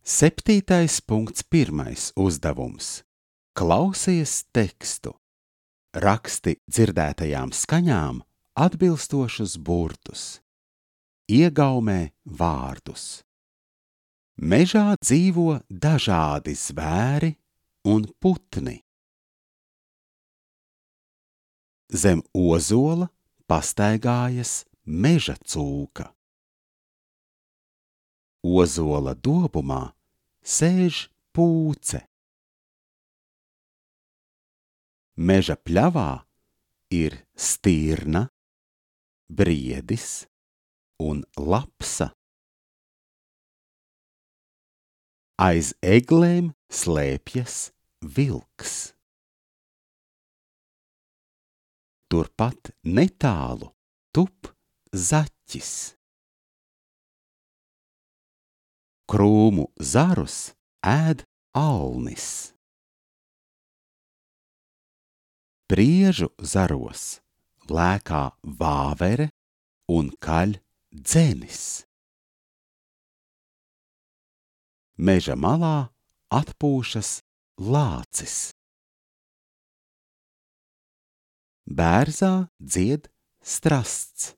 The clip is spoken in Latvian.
7.1. uzdevums. Klausies tekstu. Raksti dzirdētajām skaņām atbilstošus burtus. Iegaumē vārdus. Mežā dzīvo dažādi zvēri un putni. Zem ozola pastaigājas meža cūka. Ozola dobumā sēž pūce. Meža pļavā ir stirna, briedis un lapsa. Aiz eglēm slēpjas vilks. Turpat netālu tup zaķis. Krūmu zarus ēd alnis. Priežu zaros lēkā vāvere un kaļ dzenis. Meža malā atpūšas lācis. Bērzā dzied strasts.